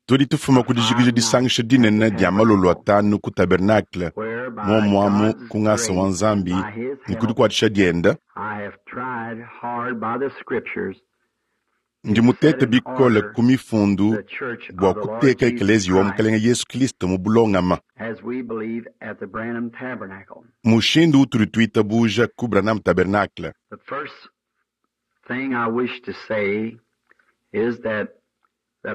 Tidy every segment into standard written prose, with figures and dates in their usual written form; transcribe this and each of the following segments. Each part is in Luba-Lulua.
Tudi tufuma ku dijikija disangisha dinene dia malolo atanu ku tabernakle, muomuamu ku ngasa wa Nzambi ne ku dikuatshisha dienda. Ndi mutete bikole ku mifundu bua kuteka ekeleziya wa Mukalenge Yesu Kilisto mu bulongama. Mushindu utudi tuitabuja ku Branham Tabernacle.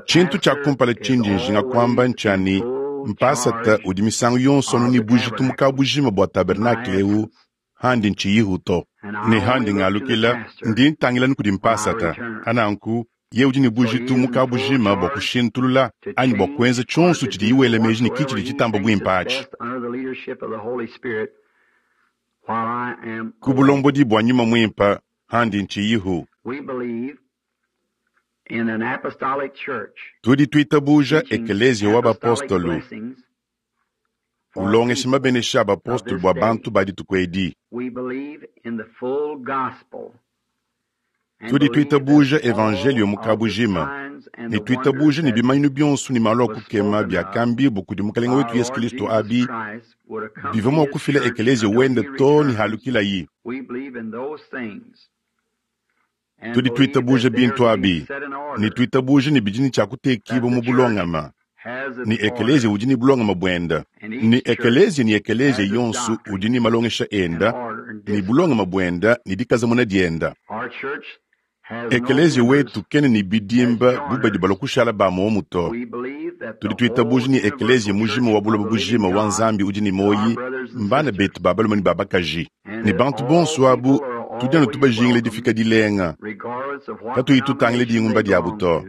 Tshintu tshia kumpala tshindi njinga kuamba ntshia ne, mpasata udi misangu yonso anu ne bujitu mu kabujima bua tabernakle eu handi ntshiyihu to. Ne handi ngalukila, ndi ntangila anu kudi mpasata. Ananku, yeye udi ne bujitu mu kabujima bua kushintulula anyi bua kuenza tshionso tshidiye wela meji ne ki tshidi tshitamba buimpe atshi. Ku bulombodi bua Nyuma Muimpe, handi ntshiyihu. Tudi tuitabuja Ekeleziya wa Bapostolo, ulongesha mabenesha a bapostolo bua bantu ba dituku edi. Tudi tuitabuja Evanjeliyo mu kabujima, ne tuitabuja ne bimanyinu bionso ne malu a kukema biakambibua kudi Mukalenge wetu Yesu Kilisto abi bivua mua kufila Ekeleziya wende too ne halukilayi. Tudi tuitabuja bintu abi, ne tuitabuja ne bidi ne tshia kutekibua mu bulongama, ne ekeleziya udi ne bulongama buenda, ne ekeleziya ne ekeleziya yonso udi ne malongesha enda, ne bulongama buenda ne dikazamuna dienda. Ekeleziya wetu kena ne bidimba bu badi balua kushala ba muomu to. Tudi tuitabuja ne ekeleziya mujima wa buloba bujima wa Nzambi udi ne muoyi mbana betu ba balume ne ba bakaji. Ne bantu bonso abu tudi anu tubajingila difika dilenga, katuyi tutangila dingumba diabu to,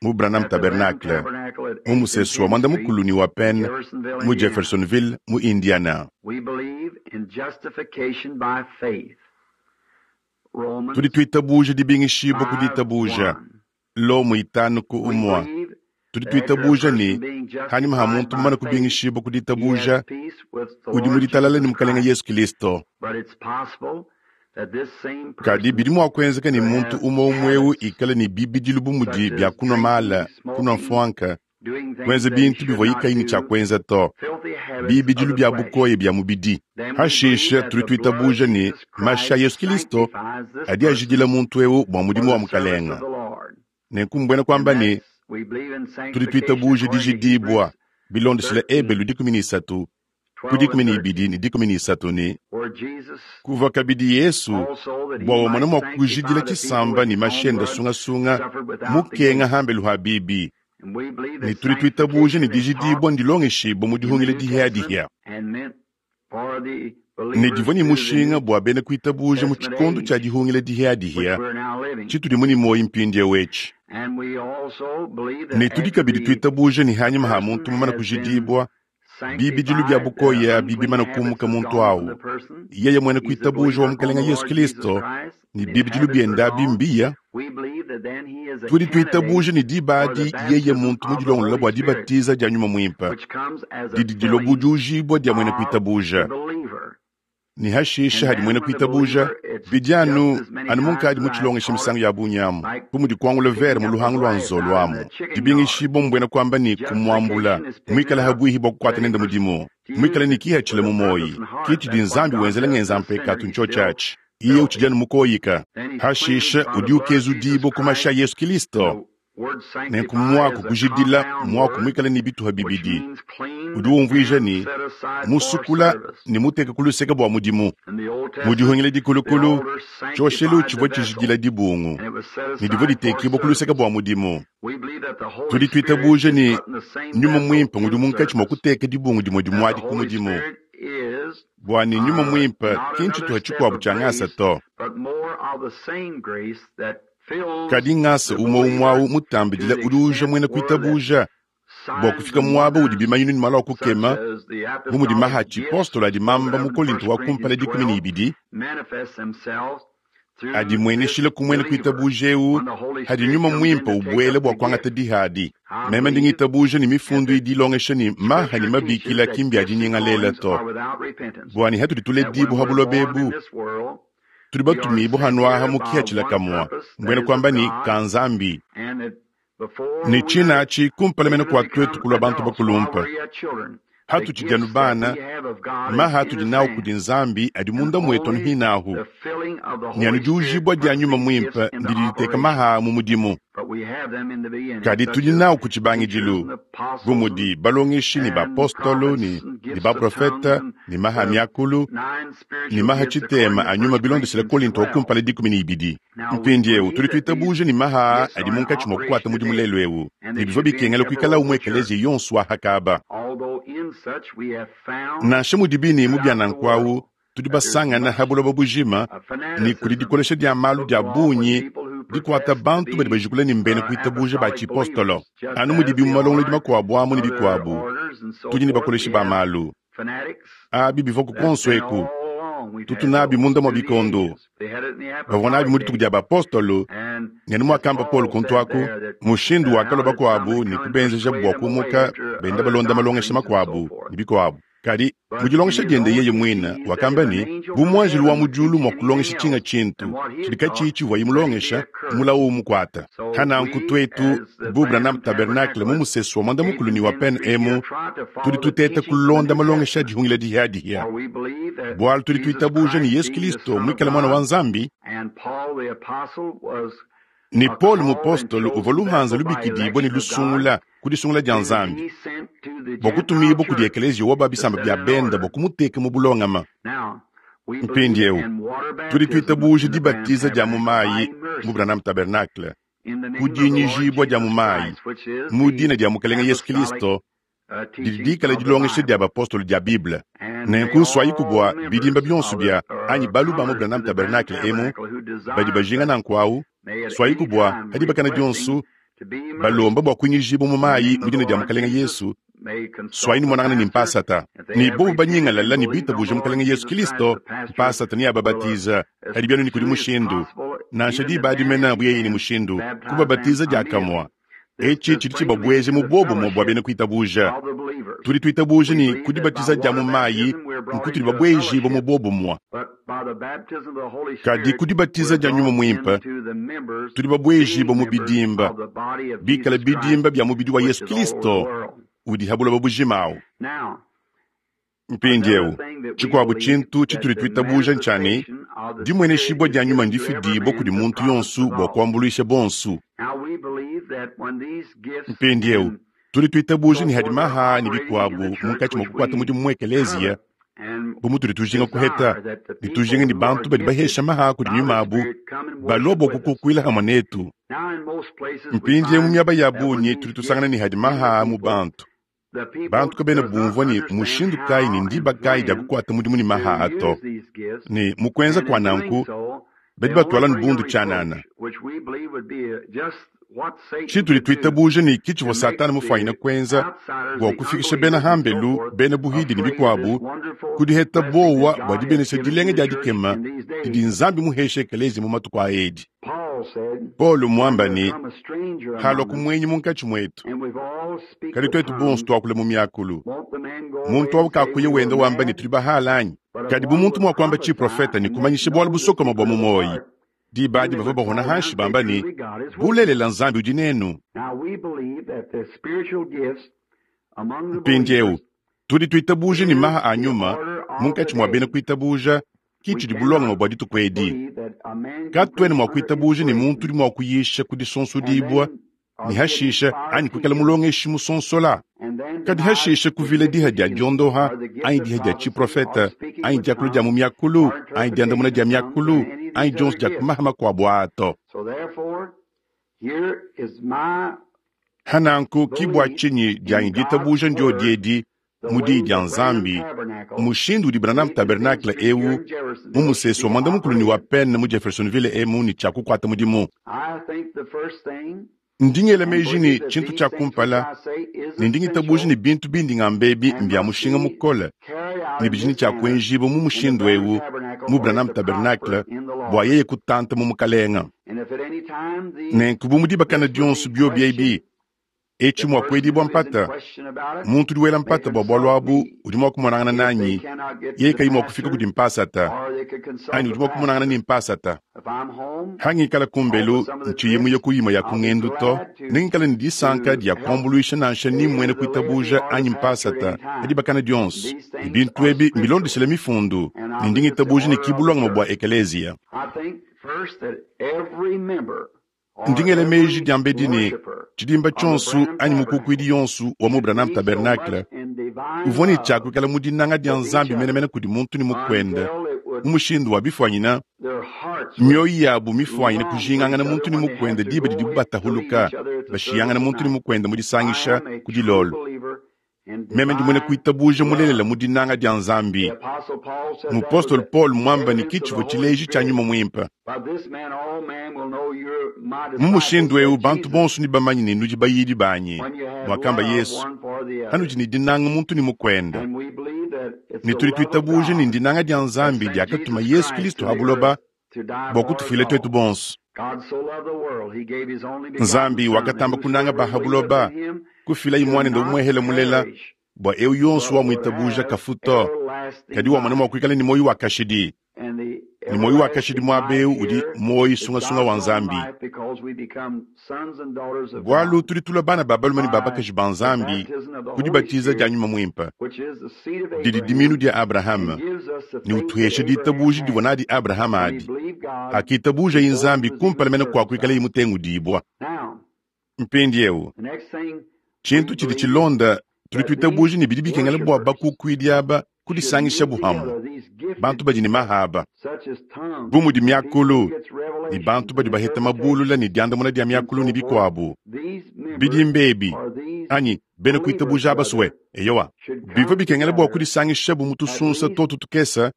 mu Branham Tabernacle, mu musesu wa muanda-mukulu ne wa Penn, mu Jeffersonville, mu Indiana. Tudi tuitabuja dibingishibua ku ditabuja, Lomo itanu ku umua. Tudi tuitabuja ne, hanyima ha muntu mumane kubingishibua ku ditabuja, udi mu ditalala ne Mukalenge Yesu Kilisto. Kadi bidi mua kuenzeka ne muntu umue umue eu ikale ne bibidilu bu mudi bia kunua mala, kunua mfuanka, kuenza bintu bivuaye kayi ne tshia kuenza to, bibidilu bia bukoya bia mubidi. Hashishe tudi tuitabuja ne, mashi a Yesu Kilisto adi ajidila muntu eu bua mudimu wa Mukalenge. Nenku mbuena kuamba ne, tudi tuitabuja dijidibua bilondeshile Ebelu 13 ku 12 ne 13 ne, kuvua kabidi Yesu bua wamona mua kujidila tshisamba ne mashi ende sungasunga mukenga hambelu ha bibi, ne tudi tuitabuja ne dijidibua ndilongeshibua mu dihungila dihiadihia ne divua ne mushinga bua bena kuitabuja mu tshikondo tshia dihungila dihiadihia tshitudi mu ne muoyo mpindieu etshi. Ne tudi kabidi tuitabuja ne hanyima ha muntu mumane kujidibua, bibidilu bia bukoya bibimana kumuka muntu au, yeye muena kuitabuja wa Mukalenge Yesu Kilisto ne bibidilu biende abi mbiya. Tudi tuitabuja ne diba adi yeye muntu mudilongolola bua dibatiza dia Nyuma Muimpe didi dilua bu diujibua dia muena kuitabuja. Ne hashishe hadi muena kuitabuja, bidi anu anu munkadi mutshilongeshe misangu ya bungi amu, bu mudi kuangula vere mu luhangu lua nzolo amu, dibingishibua mbuena kuamba ne kumuambula, muikale habuihi bua kukuata nende mudimu, muikale ne kihatshila mu muoyi. Ke tshidi Nzambi wenzela ngenza mpekatu ntshiotshi atshi. Iye utshidi anu mukoyika. Hashishe udi ukezudibua ku mashi a Yesu Kilisto. Nenku muaku kujidila muaku muikale ne bituha bibidi, udi umvuija ne, musukula ne muteka ku luseke bua mudimu. Mu dihungila dikulukulu, tshioshelu tshivua tshijidila dibungu ne divua ditekibua ku luseke bua mudimu. Tudi tuitabuja ne, Nyuma Muimpe ngudi munkatshi mua kuteka dibungu dimue dimue adi ku mudimu, bua ne Nyuma Muimpe ki ntshituha tshikuabu tshia ngasa to. Kadi ngasa umue umue au mutambidila udi uja muena kuitabuja bua kufika muaba udi bimanyinu ne malu a kukema, bu mudi maha a tshipostolo adi mamba mu Kolinto wa kumpala 12, adimueneshila ku muena kuitabuja eu hadi Nyuma Muimpe ubuela bua kuangata diha adi. Meme ndi ngitabuja ne mifundu idi ilongesha ne maha ne mabikila ki mbia dinyingalela to, bua ne hatudi tuledibua ha buloba ebu. Tudi batumibue hanu aha mu kihatshila kamua, mbuena kuamba ne ka Nzambi. Ne tshina atshi kumpala mene kua tuetu kulua bantu bakulumpa. Hatutshidi anu bana, maha atudi nawu kudi Nzambi adi munda muetu anu hinahu, ne anu diujibua dia Nyuma Muimpe ndidi diteka maha mu mudimu. Kadi tudi nawu ku tshibangidilu, bu mudi balongeshi ne bapostolo ne baprofete ne maha a miakulu ne maha tshitema a nyuma bilondeshile Kolinto wa kumpala 12. Mpindieu tudi tuitabuja ne maha aa adi munkatshi mua kukuata mudimu lelu eu, ne bivua bikengela kuikalawu mu ekeleziya yonso wa hakaba. Nansha mudibi ne mu bia nanku au, tudi basangana ha buloba bujima ne kudi dikolesha dia malu dia bungi dikuata bantu badi bajikula ne mbena kuitabuja ba tshipostolo. Anu mudibi mu malongolodi makuabu amu ne bikuabu, tudi ne bakoleshi ba malu. Abi bivua ku kuonso eku, tutu nabi munda mua bikondo. Bavua nabi mu dituku dia bapostolo, ne anu muakamba Paulo kuntu aku, mushindu wakalua bakuabu ne kubenzeja bua kumuka benda balonda malongesha makuabu ne bikuabu. Kadi, mu dilongesha diende yeye muine, wakamba ne, bu muanjelu wa mu diulu mua kulongesha tshinga tshintu tshidi katshiyi tshivuaye mulongesha, mulawu umukuata. Hananku tuetu, bu Branham Tabernacle mu musesu wa muanda-mukulu ne wa Penn emu, tudi tuteta kulonda malongesha a dihungila dihiadihia, bualu tudi tuitabuja ne Yesu Kilisto muikale Muana wa Nzambi, ne Paulo mupostolo uvua luhanza lubikidibue ne lusungula ku disungula dia Nzambi bua kutumibua kudi ekeleziya wa ba bisamba bia benda bua kumuteka mu bulongama. Mpindieu tudi tuitabuja dibatiza dia mu mayi mu Branham Tabernacle, ku dinyijibua dia mu mayi mu dina dia Mukalenge Yesu Kilisto, didi dikala dilongesha dia bapostolo dia Bible. Nenku nsuayiku bua bidimba bionso bia anyi balu ba mu Branham Tabernacle emu badi bajinga nanku au, suayiku bua ha dibakana dionso balomba bua kuinyijibua mu mayi mu dina dia Mukalenge Yesu, suayi numonangana ne mpasata. Ne bobu banyingalala ne bitabuja Mukalenge Yesu Kilisto, mpasata neababatiza. Kadi bianu ne kudi mushindu, nansha diba adi mene bu yeye ne mushindu, kubabatiza diakamue. Etshi tshidi tshibabueja mu buobumue bua bena kuitabuja. Tudi tuitabuja ne ku dibatiza dia mu mayi nkutudi babuejibue mu buobumue. Kadi ku dibatiza dia Nyuma Muimpe tudi babuejibue mu bidimba, bikale bidimba bia mubidi wa Yesu Kilisto udi ha buloba bujima awu. Mpindieu, tshikuabu tshintu tshitudi tuitabuja ntshia ne, dimueneshibua dia nyuma ndifidibue kudi muntu yonso bua kuambuluisha bonso. Mpindieu, tudi tuitabuja ne hadi maha ne bikuabu munkatshi mua kukuata mudimu mu ekeleziya, bu mutudi tujinga kuheta ne tujinga ne bantu badi bahesha maha kudi nyuma abu balua bua kukukuila hamue netu. Mpindieu mu miaba ya bungi tudi tusangana ne hadi maha mu bantu. Bantu kabena bumvua ne mushindu kayi ne ndiba kayi dia kukuata mudimu ne maha to, ne mu kuenza kua nanku badi batuala ne bundu tshianana. Tshitudi tuitabuja ne ki tshivua Satana mufuanyine kuenza bua kufikisha bena hambelu, bena buhidi ne bikuabu ku diheta buowa bua dibenesha dilenga dia dikema didi Nzambi muheshe ekeleziya mu matuku a edi. Paulo muamba ne, halua ku muenyi munkatshi muetu, kadi tuetu bonso tuakule mu miakulu. Muntu au kakuya wenda wamba ne tudi bahala anyi? Kadi bu muntu mua kuamba tshiprofeta ne kumanyisha bualu busokoma bua mu muoyi, diba adi bavua bahona hanshi bamba ne, bulelela Nzambi udi nenu. Mpindieu tudi tuitabuja ne maha a nyuma munkatshi mua bena kuitabuja ki tshidi bulongame bua dituku edi. Katuena mua kuitabuja ne muntu udi mua kuyisha ku disonsodibua ne hashisha anyi kuikala mulongeshi musonsola, kadi hashisha kuvila diha dia diondoha anyi diha dia tshiprofeta anyi diakula dia mu miakulu anyi diandamuna dia miakulu anyi dionso dia kumaha makuabu aa to. Hananku ki bua tshinyi dianyi ditabuja ndio edi mu diyi dia Nzambi, mushindu udi Branham Tabernacle eu mu musesu wa muanda-mukulu ne wa Penn mu Jeffersonville emu ne tshia kukuata mudimu. Ndi ngela meji ne tshintu tshia kumpala, ne ndi ngitabuja ne bintu bindi ngamba ebi mbia mushinga mukole ne bidi ne tshia kuenjibua mu mushindu eu mu Branham Tabernacle bua yeye kutanta mu Mukalenga. Nenku bu mu dibakana dionso biobi ebi, Etshi mua kuedibua mpata, muntu udi wela mpata bua bualu abu udi mua kumonangana nanyi yeye kayi mua kufika kudi mpasata, anyi udi mua kumonangana ne mpasata. Hangikala kumbelu ntshiyi muye ku imue ya ku ngendu to, nengikale ne disanka dia kuambuluisha nansha ni mmuena kuitabuja anyi mpasata pa dibakana dionso. Ne bintu ebi mbilondeshile Mifundu, ne ndi ngitabuja ne ki bulongame bua ekeleziya. Ndi ngela meji diambedi ne, tshidimba tshionso anyi mukukuidi yonso wa mu Branham Tabernacle uvua ne tshia kuikala mu dinanga dia Nzambi menemene kudi muntu ne mukuende mu mushindu wa bifuanyina mioyo yabu mifuanyine kujingangana muntu ne mukuende diba didibu batahuluka bashiyangana muntu ne mukuende mu disangisha ku dilolo. Meme ndi muena kuitabuja mulelela mu dinanga dia Nzambi. Mupostolo Paul muamba ne ki tshivua tshileji tshia nyuma muimpe. Mu mushindu eu bantu bonso nebamanye ne nudi bayidi banyi, muakamba Yesu, hanudi ne dinanga muntu ne mukuende. Ne tudi tuitabuja ne ndinanga dia Nzambi diakatuma Yesu Kristo ha buloba bua kutufuila tuetu bonso. Nzambi wakatamba kunanga ba ha buloba, kufilaye Muanende umuehele mulela, bua eu yonso wamuitabuja kafu to, kadi wamona mua kuikala ne muoyo wa kashidi. Ne muoyo wa kashidi muaba eu udi muoyo sungasunga wa Nzambi. Bualu tudi tulua bana ba balume ne ba bakaji ba Nzambi ku dibatiza dia Nyuma Muimpe, didi dimiinu dia Abrahama, ne utuhesha ditabuja divua nadi Abrahama adi, hakitabujaye Nzambi kumpala mene kua kuikalaye mutengudibua. Mpindieu, tshintu tshidi tshilonda, tudi tuitabuja ne bidi bikengela bua bakukuidi aba kudisangishabu hamue, bantu badi ne mahaba bu mudi miakulu, ne bantu badi baheta mabulula ne diandamuna dia miakulu ne bikuabu. Bidimba ebi anyi bena kuitabuja abasue, eyowa, bivua bikengela bua kudisangishabu mu tusunsa totu tukese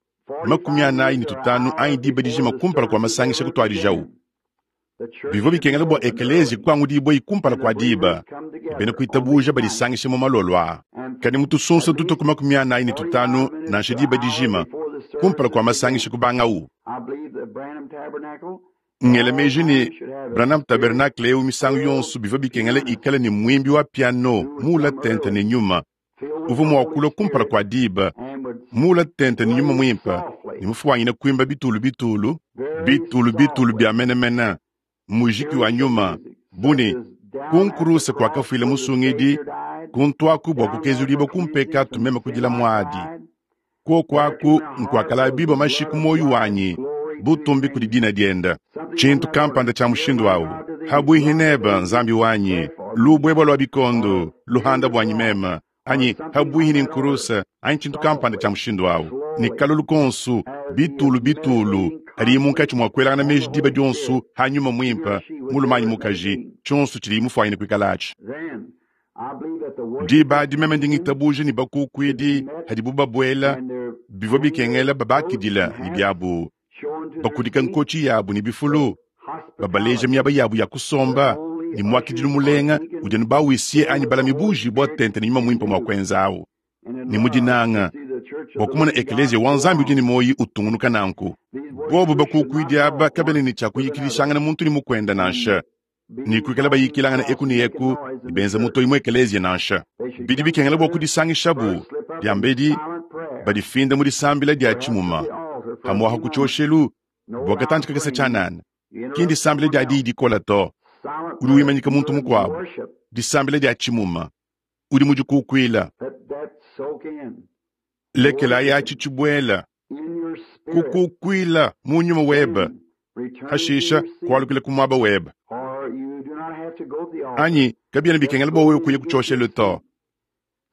45 anyi diba dijima kumpala kua masangisha kutuadijawu. Bivua bikengela bua ekeleziya kuangudibuayi kumpala kua diba, ne bena kuitabuja badisangishe mu malolo aa. Kadi mu tusunsa tutue ku 45 nansha diba dijima kumpala kua masangisha kubangawu. Ngela meji ne, Branham Tabernacle eu misangu yonso bivua bikengela ikale ne muimbi wa piano muula tente ne nyuma uvua mua kulua kumpala kua diba muula tente ne nyuma muimpe ne mufuanyine kuimba bitulu bitulu bitulu bitulu bia menemene mujiki wa nyuma bu ne ku nkuruse kuakafuila musungidi kuntuaku bua kukezudibua ku mpekatu meme kudila muadi kuoku aku nkuakalabibo mashi ku muoyo wanyi butumbi kudi dina diende. Tshintu kampanda tshia mushindu au habuihi nebe, Nzambi wanyi, lubuebua lua bikondo luhanda buanyi meme, anyi habuihi ne nkuruse, anyi tshintu kampanda tshia mushindu au, ne kalolu konsu bitulu bitulu hadiye munkatshi mua kuelangana meji diba dionso ha nyuma muimpe, mulume anyi mukaji, tshionso tshidiye mufuanyine kuikalatshi. Diba adi meme ndi ngitabuja ne bakukuidi hadibu babuela, bivua bikengela babakidila ne biabu, bakudika nkotshi yabu ne bifulu, babaleja miaba yabu ya kusomba ne muakidilu mulenga udi anu bawisie anyi balami bujibua tente ne nyuma muimpe mua kuenza awu, ne mu dinanga bua kumona ekeleziya wa Nzambi udi ne muoyo utungunuka nanku. Bobu bakukuidi aba kabena ne tshia kuyikidishangana muntu ne mukuende nansha, ne kuikala bayikilangana eku ne eku ne benza mutoyi mu ekeleziya nansha. Bidi bikengela bua kudisangishabu diambedi badifinda mu disambila dia tshimuma pamuapa ku tshioshelu bua katantshi kakese tshianana. Ki ndisambila dia diyi dikola to, udi wimanyika muntu mukuabu. Disambila dia tshimuma, udi mudikukuila. Lekelayi atshi tshibuela, kukukuila mu nyuma webe, hashisha kualukila ku muaba webe. Anyi kabiena bikengela bua wewe kuya ku tshioshelu to.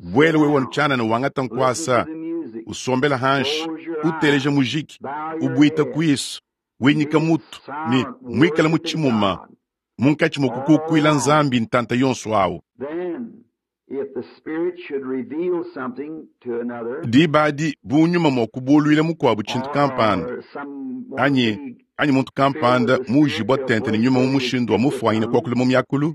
Buela wewe tshianana wangata nkuasa, usombela hanshi, uteleja mujiki, ubuita kuisu, winyika mutu ne muikala mu tshimuma munkatshi mua kukukuila Nzambi ntanta yonso awu. Diba adi bu nyuma mua kubuluila mukuabu tshintu kampanda anyi anyi muntu kampanda muujibua tente ne nyuma mu mushindu wa mufuanyine kuakula mu miakulu,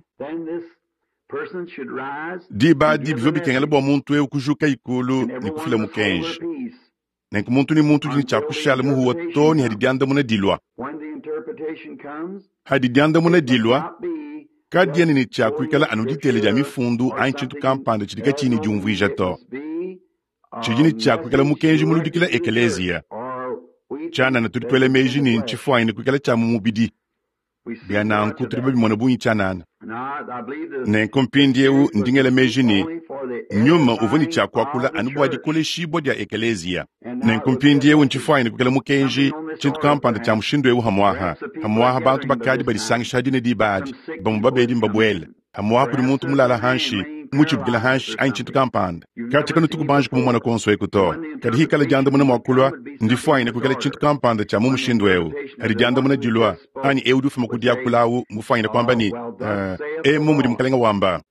diba adi bivua bikengela bua muntu eu kujuka ikulu ne kufila mukenji. Nenku muntu ne muntu udi ne tshia kushala muhuwa too ne hadi diandamuna dilua. Hadi diandamuna dilua, Kadiena ne tshia kuikala anu ditela dia mifundu anyi tshintu kampanda tshidi katshiyi ne diumvuija to. Tshidi ne tshia kuikala mukenji muludikila ekeleziya. Tshianana tudi tuela meji ne ntshifuanyine kuikala tshia mu mubidi. Bia nanku tudi babimone bungi tshianana. Nenku mpindieu ndi ngela meji ne, Nyuma uvua ne tshia kuakula anu bua dikoleshibua dia ekeleziya. Nenku mpindieu ntshifuanyine kuikala mukenji, tshintu kampanda tshia mushindu eu hamuaha. Hamuaha bantu bakadi badisangisha dine diba adi, bamue babedi mbabuele. Hamuaha kudi muntu mulala hanshi, mutshibukila hanshi anyi tshintu kampanda. Katshia kanutu kubanji kumumona kuonso eku to. Kadi hikala diandamuna mua kulua, ndifuanyine kuikala tshintu kampanda tshia mu mushindu eu. Hadi diandamuna dilua, anyi eu udi ufuma ku diakula au mufuanyine kuamba ne, uh, emu mudi Mukalenge wamba.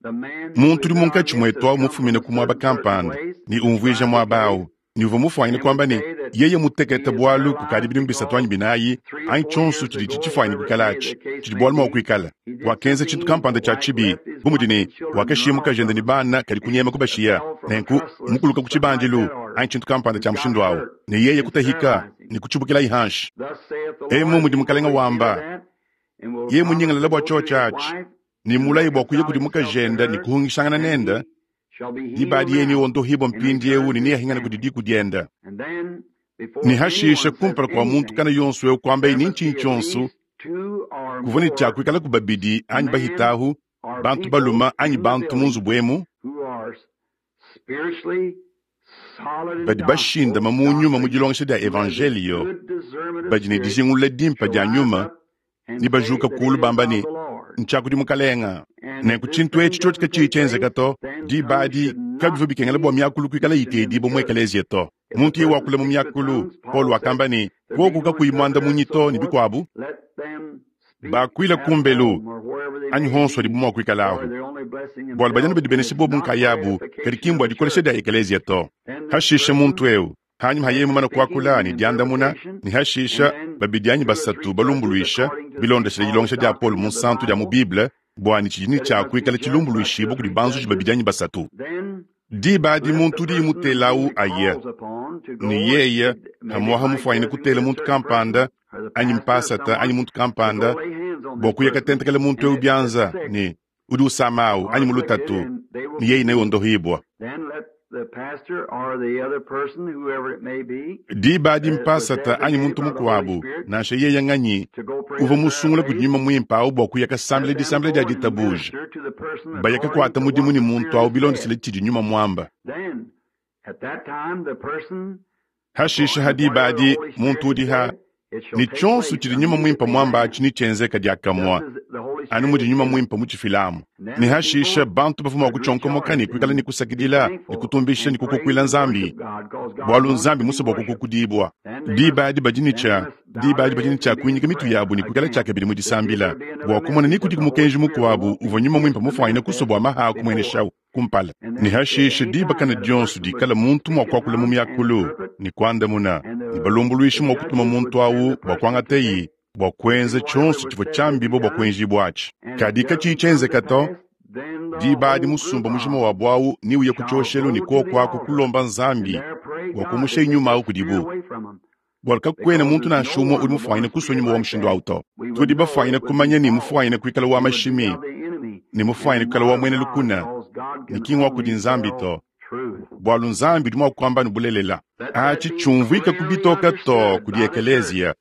Muntu udi munkatshi muetu au mufumine ku muaba kampanda ne umvuija muaba au ne uvua mufuanyine kuamba ne, yeye mutekete bualu kukadi bidimu bisatu anyi binayi anyi tshionso tshidi tshifuanyine kuikala atshi tshidi bualu mua kuikala. Wakenza tshintu kampanda tshia tshibi, bu mudi ne, wakashiya mukajende ne bana kadi kunyema kubashiya, nenku mukuluka ku tshibandilu anyi tshintu kampanda tshia mushindu au, ne yeye kutahika ne kutshibukilayi hanshi. Emu mudi Mukalenge wamba, yeye munyingalala bua tshiotshi atshi ne mulaye bua kuya kudi mukajende ne kuhungishangana nende, diba adi yeye neondohibue mpindieu ne neahingane kudi diku diende. Ne hashishe kumpala kua muntu kana yonso eu kuambaye ne ntshinyi tshionso, kuvua ne tshia kuikalaku babidi anyi bahitahu, bantu balume anyi bantu mu nzubu emu, badi bashindama mu nyuma mu dilongesha dia evanjeliyo, badi ne dijingulula dimpe dia nyuma, ne bajuka kulu bamba ne, ntshia kudi Mukalenga. Nenku tshintu etshi tshiotshi katshiyi tshienzeka to, diba adi kabivua bikengela bua miakulu kuikala itedibua mu ekeleziya to. Muntu yeye wakula mu miakulu, Paulo wakamba ne, kuoku kakuyi muandamunyi to ne bikuabu, bakuila kumbelu anyi honso adibu mua kuikalahu, bualu badi anu badibenesha bobu nkayabu, kadi ki mbua dikolesha dia ekeleziya to. Hashishe muntu eu hanyima ha yeye mumane kuakula ne diandamuna, ne hashisha babidi anyi basatu balumbuluisha bilondeshile dilongesha dia Paulo Munsantu dia mu Bible, bua ne tshidi ne tshia kuikala tshilumbuluishibua kudi banzuji babidi anyi basatu. Diba adi muntu udi mutelawu aye, ne yeye hamuaha mufuanyine kutela muntu kampanda anyi mpasata anyi muntu kampanda bua kuya katentekela muntu eu bianza ne udi usama au anyi mu lutatu, ne yeye neondohibua. Diba adi mpasata anyi muntu mukuabu, nansha yeye nganyi, uvua musungula kudi Nyuma Muimpe au bua kuya kasambila disambila dia ditabuja, baya kakuata mudimu ne muntu au bilondeshile tshidi Nyuma muamba. Hashishe ha diba adi muntu udi ha ne tshionso tshidi Nyuma Muimpe muamba atshi netshienzeke diakamue, anu mudi Nyuma Muimpe mutshifilamu. Ne hashishe bantu bavua mua kutshionkomoka ne kuikala ne kusakidila ne kutumbisha ne kukukuila Nzambi, bualu Nzambi musue bua kukukudibua. Diba adi badi ne tshia diba adi badi ne tshia kuinyika mitu yabu ne kuikala tshiakabidi mu disambila bua kumona ni kudiku mukenji mukuabu uvua Nyuma Muimpe mufuanyine kusua bua maha kumueneshawu kumpala. Ne hashishe diba kana dionso dikala muntu mua kuakula mu miakulu ne kuandamuna, ne balumbuluishi mua kutuma muntu au bua kuangateyi bua kuenza tshionso tshivua tshiambibua bua kuenjibua atshi. Kadi katshiyi tshienzeka to, diba adi musumba mujima wa buawu neuye ku tshioshelu ne kuoku aku kulomba Nzambi bua kumusha nyuma au kudibu, bualu kakuena muntu nansha umue udi mufuanyine kusua nyuma wa mushindu au to. Tudi bafuanyine kumanya ne mufuanyine kuikala wa mashimi ne mufuanyine kuikala wa muena lukuna ne ki ngua kudi Nzambi to, bualu Nzambi udi mua kuamba ne bulelela. Atshi tshiumvuika ku bitoka to kudi ekeleziya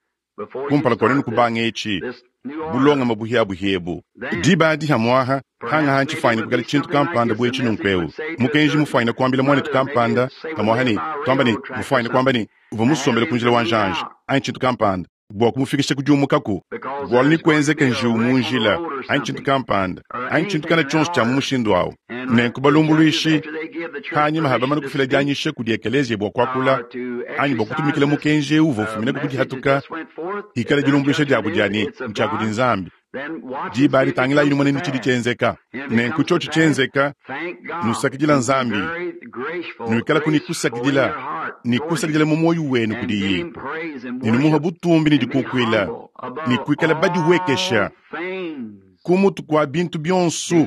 kumpala kua nenu kubanga etshi bulongame buhiabuhia ebu. Diba adi hamuaha hangaha ntshifuanyine kuikala tshintu kampanda bu etshi nunku eu mukenji mufuanyine kuambila muanetu kampanda hamuaha ne tuamba ne mufuanyine kuamba ne uvua musombele ku njila wa njanja anyi tshintu kampanda bua kumufikisha ku diumukaku, bualu ne kuenzeke njiwu mu njila anyi tshintu kampanda anyi tshintu kana tshionso tshia mu mushindu au. Nenku balumbuluishi hanyima ha bamane kufila dianyisha kudi ekeleziya bua kuakula anyi bua kutumikila mukenji eu uvua ufumina ku dihatuka, hikala dilumbuluisha diabu dia ne ntshia kudi Nzambi. Diba adi tangilayi numone ne tshidi tshienzeka. Nenku tshiotshi tshienzeka, nusakidila Nzambi, nuikalaku ne kusakidila ne kusakidila mu muoyo wenu kudiye, ne numuha butumbi ne dikukuila, ne kuikala badihuekesha ku mutu kua bintu bionso,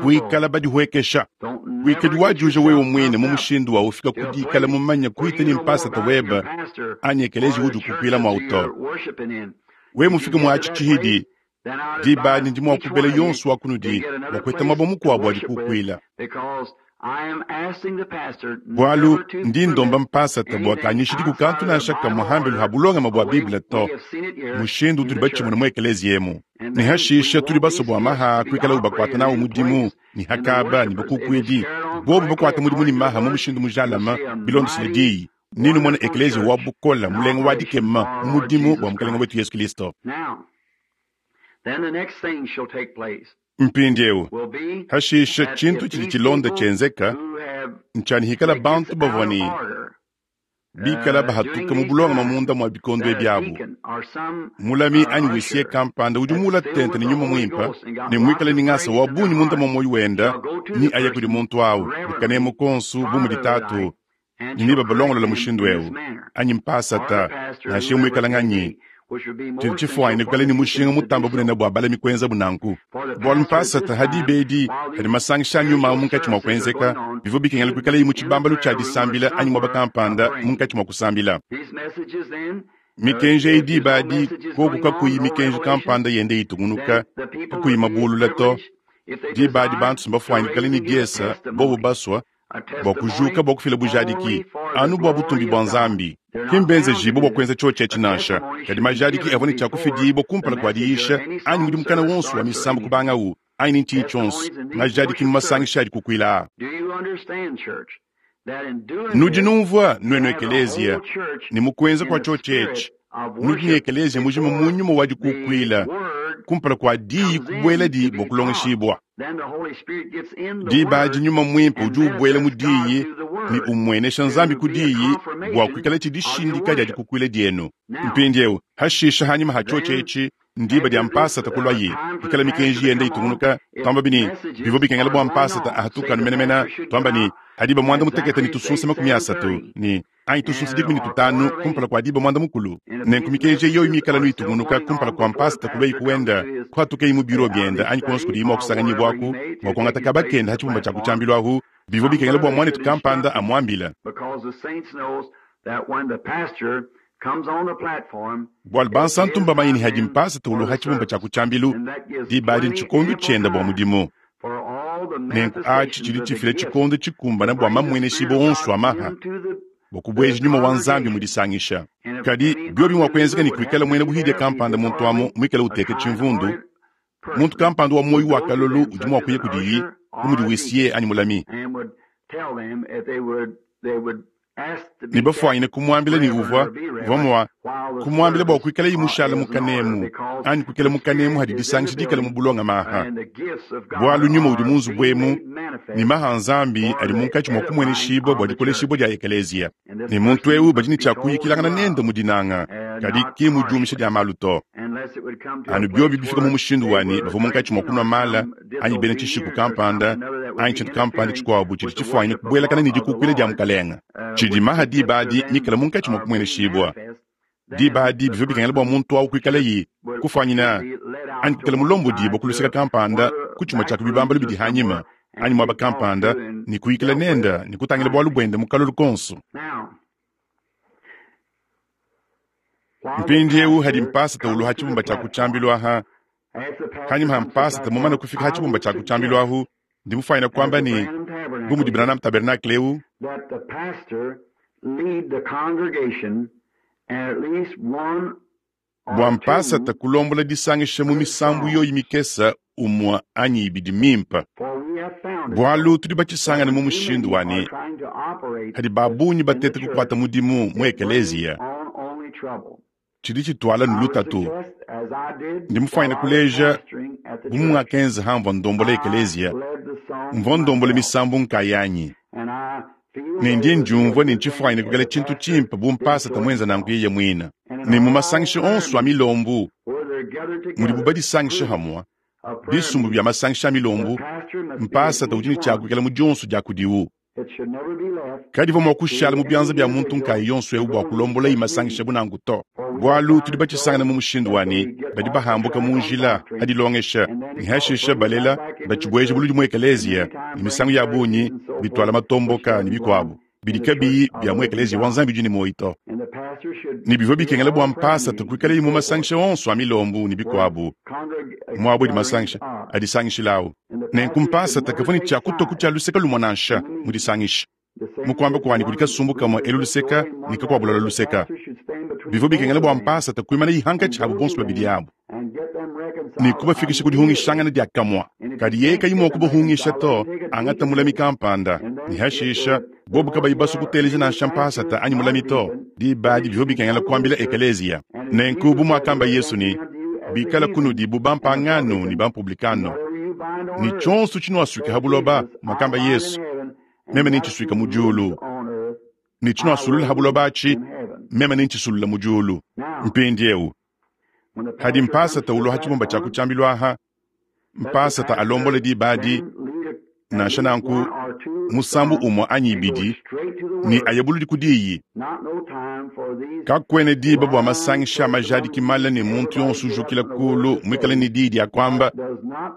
kuikala badihuekesha. Kuikadi wajuja wewe muine mu mushindu wa ufika ku dikala mumanye kuita ne mpasata webe anyi ekeleziya udi ukukuila muawu to. Wewe mufike mu atshi tshihidi, Diba adi ndi mua kubela yonso wa kunudi bua kuheta muaba mukuabo wa dikukuila. Bualu ndi ndomba mpasata bua kanyishidiku kantu nansha kamue hambelu ha bulongame bua Bible to, mushindu utudi batshimone mu ekeleziya emu. Ne hashisha tudi basue bua maha kuikala bakuata nawu mudimu ne hakaba ne bakukuidi, bobu bakuata mudimu ne maha mu mushindu mujalame bilondeshile diyi, ne numone ekeleziya wa bukola mulenga wa dikema mu mudimu bua Mukelenge wetu Yesu Kilisto. Mpindieu, hashisha tshintu tshidi tshilonda tshienzeka ntshia ne hikala bantu bavua ne bikala bahatuka mu bulongame munda mua bikondo ebi abu. Mulami anyi huissier kampanda udi muula tente ne Nyuma Muimpe ne muikale ne ngasa wa bungi munda mua muoyo wenda, ne aya kudi muntu au ne kanemu konso bu mudi tatu ne nebabalongolola mushindu eu anyi mpasata nansha muikala nganyi. Tshidi tshifuanyine kuikala ne mushinga mutamba bunene bua balami kuenzabu nanku, bualu mpasata ha diba edi hadi masangisha a nyuma munkatshi mua kuenzeka, bivua bikengela kuikalayi mu tshibambalu tshia disambila anyi muaba kampanda munkatshi mua kusambila. Mikenji eyi diba adi, koku kakuyi mikenji kampanda yende itungunuka, kakuyi mabulula to, diba adi bantu mbafuanyine kuikala ne diesa bobu basua bua kujuka bua kufila bujadiki anu bua butumbi bua Nzambi. Ki mbenzejibue bua kuenza tshiotshi etshi nansha, kadi majadiki avua ne tshia kufidibua kumpala kua diyisha anyi mudimu kana wonso wa misambu kubangawu anyi ne ntshinyi tshionso, majadiki mu masangisha adi kukuila aa. Nudi numvua, nuenu ekeleziya, ne mu kuenza kua tshiotshi etshi, nudi ne ekeleziya mujima mu nyuma wa dikukuila kumpala kua diyi kubueladi bua kulongeshibua. Diba adi Nyuma Muimpe udi ubuela mu diyi ne umuenesha Nzambi ku diyi bua kuikala tshidishindika dia dikukuila dienu. Mpindieu, hashisha hanyima ha tshiotshi etshi, ndiba dia mpasata kuluaye, ikala mikenji yende itungunuka, tuamba ne bivua bikengela bua mpasata ahatuka anu menemene, tuamba ne hadiba 13 ne tusunsa 30 ne anyi tusunsa 15 kumpala kua diba 10. Nenku mikenji yoyi mikala nuitungunuka kumpala kua mpasata kuluayi kuenda, kuhatukeyi mu biro biende anyi kuonso kudiyi mua kusanganyibuaku bua kuangata kaba kende ha tshibumba tshia kutshiambilu ahu, bivua bikengela bua muanetu kampanda amuambila. Bualu bansantu mbamanye ne hadi mpasata uluha tshibumba tshia kutshiambilu, diba adi ntshikondo tshiende bua mudimu. Nenku atshi tshidi tshifila tshikondo tshikumbana bua mamueneshibua onso a maha bua kubueja nyuma wa Nzambi mu disangisha. Kadi biobi mua kuenzeka ne kuikala muena buhidia kampanda muntu amu muikale uteka tshimvundu, muntu kampanda wa muoyo wa kalolu udi mua kuya kudiyi bu mudi huissier anyi mulami, ne bafuanyine kumuambila ne uvua mua kumuambila bua kuikalayi mushala mu kanemu anyi kuikala mu kanemu hadi disangisha dikala mu bulongame aha, bualu nyuma udi mu nzubu emu ne maha Nzambi adi munkatshi mua kumueneshibua bua dikoleshibua dia ekeleziya. Ne muntu eu badi ne tshia kuyikilangana nende mu dinanga, kadi ki mu diumisha dia malu to. Anu biobi bifika mu mushindu wa ne bavua munkatshi mua kunua mala anyi bena tshishiku kampanda anyi tshintu kampanda tshikuabu tshidi tshifuanyine kubuelakana ne dikukuila dia Mukalenge, tshidi maha diba adi mikale munkatshi mua kumueneshibua. Diba adi bivua bikengela bua muntu au kuikalayi kufuanyina anyi kuikala mulombodibua ku luseke kampanda ku tshimue tshia ku bibambalu bidi hanyima anyi muaba kampanda ne kuyikila nende ne kutangila bualu buende mu kalolu konso. Mpindieu hadi mpasata uluha tshibumba tshia ku tshiambilu aha, hanyima ha mpasata mumane kufika ha tshibumba tshia ku tshiambilu ahu, ndi mufuanyine kuamba ne bu mudi Branham Tabernacle eu, bua mpasata kulombola disangisha mu misambu yoyi mikese umue anyi ibidi mimpe, bualu tudi batshisangane mu mushindu wa ne hadi ba bungi batete kukuata mudimu mu ekeleziya, tshidi tshituala ne lutatu. Ndi mufuanyine kuleja bu mungakenza hamvua ndombola ekeleziya, mvua ndombola misambu nkayanyi, ne ndi ndiumvua ne ntshifuanyine kuikala tshintu tshimpe bu mpasata muenza nanku yeye muine. Ne mu masangisha onso a milombu mudibu badisangisha hamue, bisumbu bia masangisha a milombu, mpasata udi ne tshia kuikala mu dionso dia kudiwu. Kadivua mua kushala mu bianza bia muntu nkayi yonso eu bua kulombola imasangisha bu nanku to, bualu tudi batshisangana mu mushindu wa ne badi bahambuka mu njila adilongesha ne hashisha balela batshibueja buludi mu ekeleziya, ne misangu ya bungi bituala matomboka ne bikuabu bidi kabiyi bia mu ekeleziya wa Nzambi udi ne muoyo to. Ne bivua bikengela bua mpasata kuikalaye mu masangisha onso a milombu ne bikuabu, muaba udi masangisha adisangishilawu. Nenku mpasata kavua ne tshia kutua ku tshia luseke lumue nansha mu disangisha. Mu kuamba kuanyi kudi kasumbu kamue elu luseka ne kakuabu lualua luseka. Bivua bikengela bua mpasata kuimanaye hankatshi habu bonso babidi abu ne kubafikisha ku dihungishangana diakamue. Kadi yeye kayi mua kubahungisha to, angata mulami kampanda, ne hashisha bobu kabayi basue kuteleja nansha mpasata anyi mulami to, diba adi bivua bikengela kuambila ekeleziya. Nenku bu muakamba Yesu ne, Bikala kunudi bu bampangano ne bampublikano, ne tshionso tshinuasuika ha buloba, muakamba Yesu, meme nentshisuika mu diulu, ne tshinuasulula ha buloba atshi, meme nentshisusulula mu diulu. Mpindieu hadi mpasata ulua ha tshibumba tshia ku tshiambilu aha, mpasata alombola diba adi, nansha nanku, musambu umue anyi ibidi, ne aye buludi ku diyi. Kakuena diba bua masangisha a majadiki male ne muntu yonso ujukila kulu muikale ne diyi dia kuamba,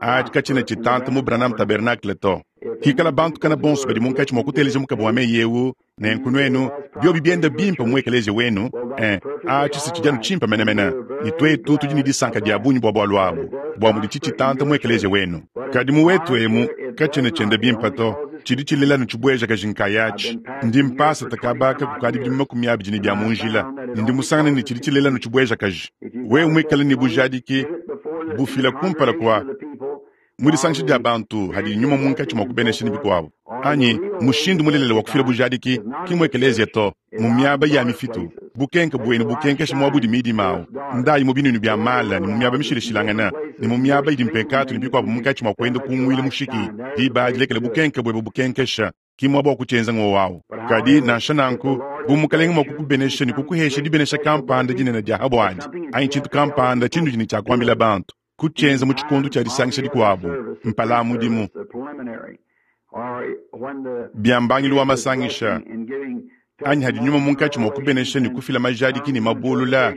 atshi katshiena tshitanta mu Branham Tabernacle to. Hikala bantu kana bonso badi munkatshi mua kuteleja mukaba wa meyi eu, nenku nuenu, biobi bienda bimpe mu ekeleziya wenu, eh, atshi si tshidi anu tshimpe menemene, ne tuetu tudi ne disanka dia bungi bua bualu abu, bua mudi tshitshitanta mu ekeleziya wenu. Kadi mu wetu emu, katshiena tshienda bimpe to, tshidi tshilela anu tshibuejakaji nkayatshi. Ndi mpasata kaba ka kukadi bidimu 20 ne bia mu njila, ne ndi musangane ne tshidi tshilela anu tshibuejakaji. Wewe muikale ne bujadiki, bufila kumpala kua mu disangisha dia bantu hadi nyuma munkatshi mua kubenesha ne bikuabu, anyi mushindu mulelela wa kufila bujadiki ki mu ekeleziya to, mu miaba ya mifitu, bukenke buenu bukenkeshe muaba udi midima au, ndayi mu binuinu bia mala ne mu miaba mishilashilangane ne mu miaba idi mpekatu ne bikuabu munkatshi mua kuenda kunguila mushiki, diba adi lekela bukenke buebe bukenkesha, ki muaba wa kutshienza ngowu au. Kadi nansha nanku, bu Mukalenge mua kukubenesha ne kukuhesha dibenesha kampanda dinene dia ha buadi, anyi tshintu kampanda tshinudi ne tshia kuambila bantu, kutshienza mu tshikondo tshia disangisha dikuabu, mpala a mudimu, bia mbangilu wa masangisha, anyi hadi nyuma munkatshi mua kubenesha ne kufila majadiki ne mabulula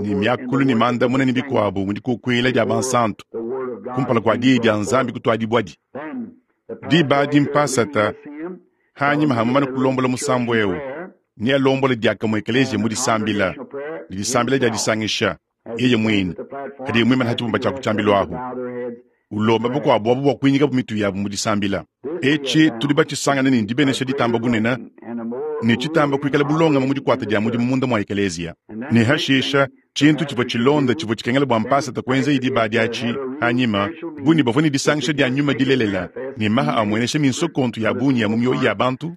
ne miakulu ne mandamuna ne bikuabu mu dikukuila dia bansantu kumpala kua diyi dia Nzambi kutuadibuadi. Diba adi mpasata, hanyima ha mumane kulombola musambu eu, nealombole diakamue ekeleziya mu disambila ne disambila dia disangisha yeye muine, hadiye muimane ha tshibumba tshia ku tshiambilu ahu, ulomba bakuabu abu bua kuinyikabu mitu yabu mu disambila. Etshi tudi batshisangane ne ndibenesha ditamba bunene ne tshitamba kuikala bulongame mu dikuata dia mudimu munda mua ekeleziya. Ne hashisha, tshintu tshivua tshilonda tshivua tshikengela bua mpasata kuenzaye diba adi atshi hanyima, bu ne bavua ne disangisha dia nyuma dilelela ne maha amuenesha minsokontu ya bungi ya mu mioyo ya bantu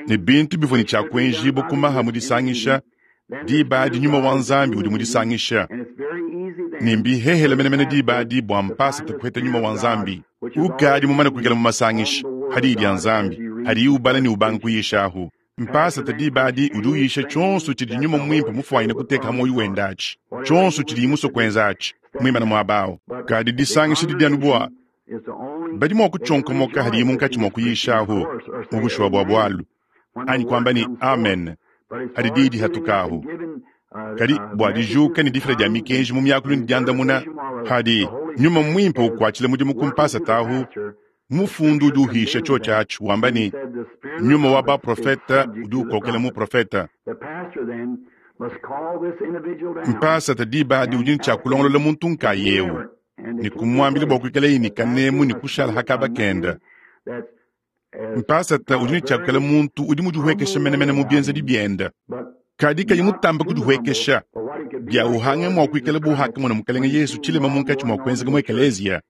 ne bintu bivua ne tshia kuenjibua ku maha mu disangisha. Diba adi nyuma wa Nzambi udi mu disangisha, ne mbihehele menemene diba adi bua mpasata kuheta nyuma wa Nzambi ukadi mumane kuikala mu masangisha ha diyi dia Nzambi hadiye ubala ne ubanga kuyishahu. Mpasata diba adi udi uyisha tshionso tshidi nyuma muimpe mufuanyine kuteka ha muoyo wende atshi, tshionso tshidiye musue kuenza atshi, muimane muaba au. Kadi disangisha didi anu bua badi mua kutshionkomoka hadiye munkatshi mua kuyishahu mu bushuwa bua bualu, anyi kuamba ne amen hadi diyi dihatukahu. Kadi bua dijuka ne difila dia mikenji mu miakulu ne diandamuna, hadi nyuma muimpe ukuatshila mudimu ku mpasata ahu, mufundu udi uhisha tshiotshi atshi wamba ne, nyuma wa baprofete udi ukokela muprofete. Mpasata diba adi udi ne tshia kulongolola muntu nkayeu ne kumuambila bua kuikalaye ne kanemu ne kushala ha kaba kende. Mpasata udi ne tshia kuikala muntu udi mudihuekesha menemene mu bienzedi biende, kadi kayi mutamba kudihuekesha, bia uhange mua kuikala bu hakamona Mukelenge Yesu tshilema munkatshi mua kuenzeka mu ekeleziya,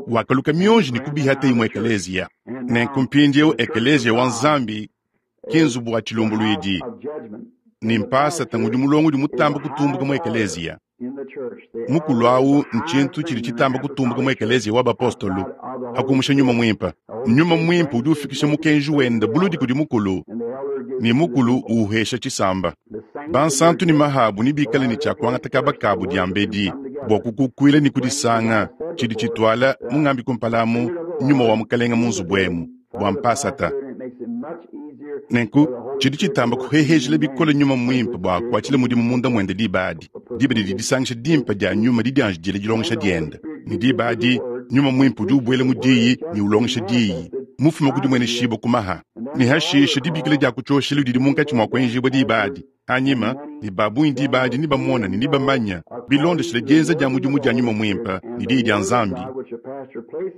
wakaluka mionji ne kubihata imue ekeleziya. Nenku mpindieu ekeleziya wa Nzambi ki nzubu wa tshilumbuluidi, ne mpasata ngudi mulongo udi mutamba kutumbuka mu ekeleziya. Mukulu au ntshintu tshidi tshitamba kutumbuka mu ekeleziya wa bapostolo, pa kumusha nyuma muimpe. Nyuma muimpe udi ufikisha mukenji wende buludi kudi mukulu, ne mukulu uuhesha tshisamba. Bansantu ne mahabu nebikale ne tshia kuangata kaba kabu diambedi bua kukukuila ne kudisanga, tshidi tshituala mungambi kumpala amu nyuma wa Mukelenge mu nzubu emu bua mpasata. Nenku tshidi tshitamba kuhehejila bikole nyuma muimpe bua akuatshile mudimu munda muende diba adi, diba didi disangisha dimpe dia nyuma didianjidila dilongesha diende, ne diba adi nyuma muimpe udi ubuela mu diyi ne ulongesha diyi, mufume ku dimueneshibua ku maha. Ne hashishe dibikila dia ku tshioshelu didi munkatshi mua kuenjibua diba adi hanyima, ne ba bungi diba adi nebamona ne nebamanya bilondeshile dienza dia mudimu dia Nyuma Muimpe ne Diyi dia Nzambi.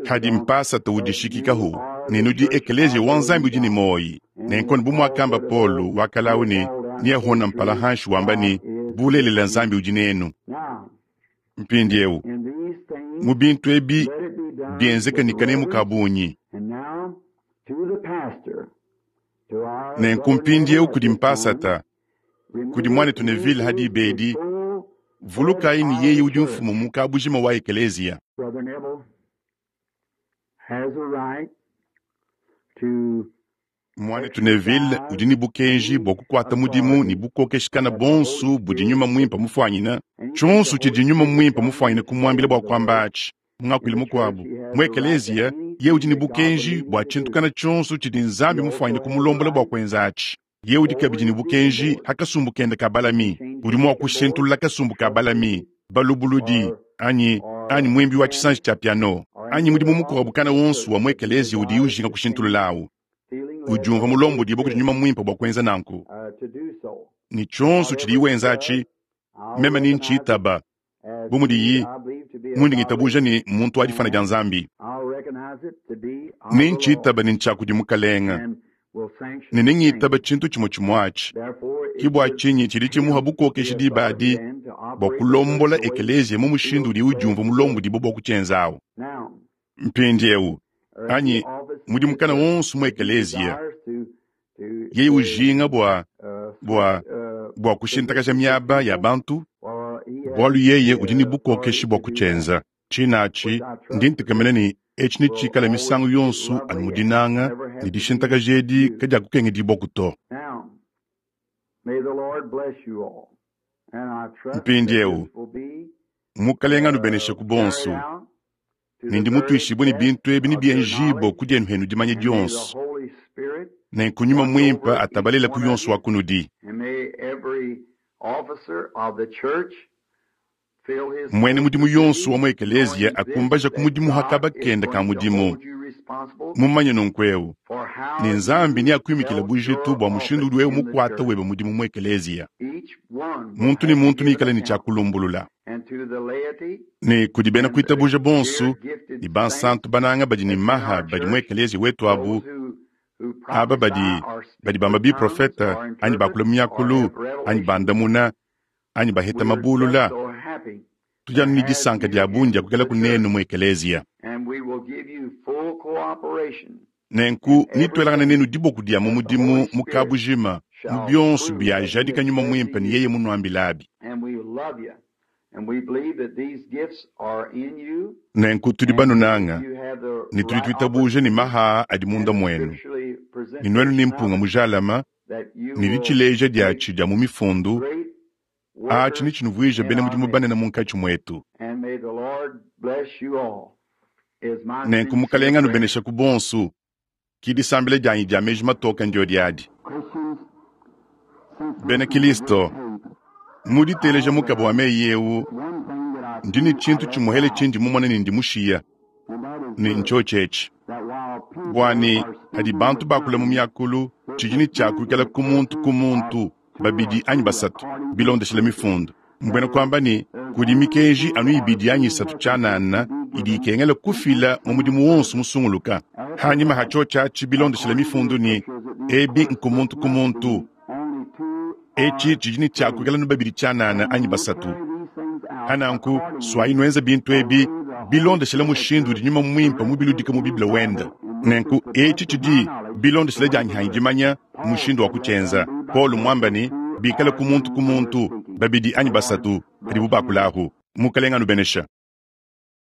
Hadi mpasata udishikikahu ne nudi ekeleziya wa Nzambi udi ne muoyi. Nenku bu muakamba Paulo wakalawu ne neahona mpala hanshi wamba ne, bulelela Nzambi udi nenu. Mpindieu mu bintu ebi bienzeka ne kanemu ka bungi. Nenku mpindieu kudi mpasata, kudi muanetu Neville ha diba edi, vulukayi ne yeye udi mfumu mu kabujima wa ekeleziya. Muanetu Neville udi ne bukenji bua kukuata mudimu ne bukokeshikana bonso budi Nyuma Muimpe mufuanyine, tshionso tshidi Nyuma Muimpe mufuanyine kumuambila bua kuamba atshi. Mu ngakuilu mukuabu, mu ekeleziya, yeye udi ne bukenji bua tshintu kana tshionso tshidi Nzambi mufuanyine kumulombola bua kuenza atshi. Yeye udi kabidi ne bukenji ha kasumbu kende ka balami. Udi mua kushintulula kasumbu ka balami, balubuludi, anyi anyi muimbi wa tshisanji tshia piano, anyi mudimu mukuabu kana wonso wa mu ekeleziya udiye ujinga kushintulula awu. Udiumvua mulombodibue kudi Nyuma Muimpe bua kuenza nanku. Ne tshionso tshidiye wenza atshi, meme ne ntshitaba bu mudiyi mundi ngitabuja ne muntu wa difana dia Nzambi. Ne ntshitaba ne ntshia kudi Mukalenga, ne nengitaba tshintu tshimue tshimue atshi. Ke bua tshinyi tshidi tshimuha bukokeshi diba adi bua kulombola ekeleziya mu mushindu udiye udiumvua mulombodibue bua kutshienza awu. Mpindieu, anyi mudimu kana wonso mu ekeleziya, yeye ujinga bua bua bua kushintakaja miaba ya bantu, bualu yeye udi ne bukokeshi bua kutshienza. Tshina atshi, ndi ntekemena ne etshi netshikale misangu yonso anu mu dinanga, ne dishintakaja edi kadiakukengedibwaku to. Mpindieu, Mukalenga anubeneshe ku bonso, ne ndi mutuishibue ne bintu ebi nebienjibue ku dienu henu dimanya dionso. Nenku Nyuma Muimpe atabalela ku yonso wa kunudi. Muena mudimu yonso wa mu ekeleziya akumbaja ku mudimu ha kaba kende ka mudimu, mumanye nunku eu ne Nzambi neakuimikile bujitu bua mushindu udi wewe mukuata webe mudimu mu ekeleziya. Muntu ne muntu neikale ne tshia kulumbulula. Ne kudi bena kuitabuja bonso ne bansantu bananga badi ne maha badi mu ekeleziya wetu abu, aba badi badi bamba biprofete anyi bakula mu miakulu anyi bandamuna anyi baheta mabulula, tudi anu ne disanka dia bungi dia kuikala kunenu mu ekeleziya. Nenku nituelangane nenu diboko dia mu mudimu mu kabujima mu bionso biajadika Nyuma Muimpe ne yeye munuambilabi. Nenku tudi banunanga ne tudi tuitabuja ne maha adi munda muenu, ne nuenu ne mpunga mujalama ne ditshileja diatshi dia mu mifundu, atshi netshinuvuije bena mudimu banene munkatshi muetu. Nenku Mukalenga anubeneshe ku bonso. Ki disambila dianyi dia meji matoke ndio diadi. Bena Kilisto, mu diteleja mukaba wa meyi eu, ndi ne tshintu tshimuhele tshindi mumone ne ndi mushiya, ne ntshiotshi etshi. Bua ne hadi bantu bakula mu miakulu, tshidi ne tshia kuikala ku muntu ku muntu, babidi anyi basatu, bilondeshile mifundu. Mbuena kuamba ne, kudi mikenji anu ibidi anyi isatu tshianana idi ikengela kufila mu mudimu wonso musunguluka. Hanyima ha tshiotshi atshi bilondeshile mifundu ne ebi nku muntu ku muntu, etshi tshidi ne tshia kuikala nu babidi tshianana anyi basatu. Hananku suayi nuenza bintu ebi bilondeshile mushindu udi Nyuma Muimpe mubiludika mu Bible wende. Nenku etshi tshidi bilondeshile dianyi hanyi dimanya mushindu wa kutshienza. Paulo muamba ne, bikale ku muntu ku muntu, babidi anyi basatu, padibu bakula ahu. Mukalenga anubenesha.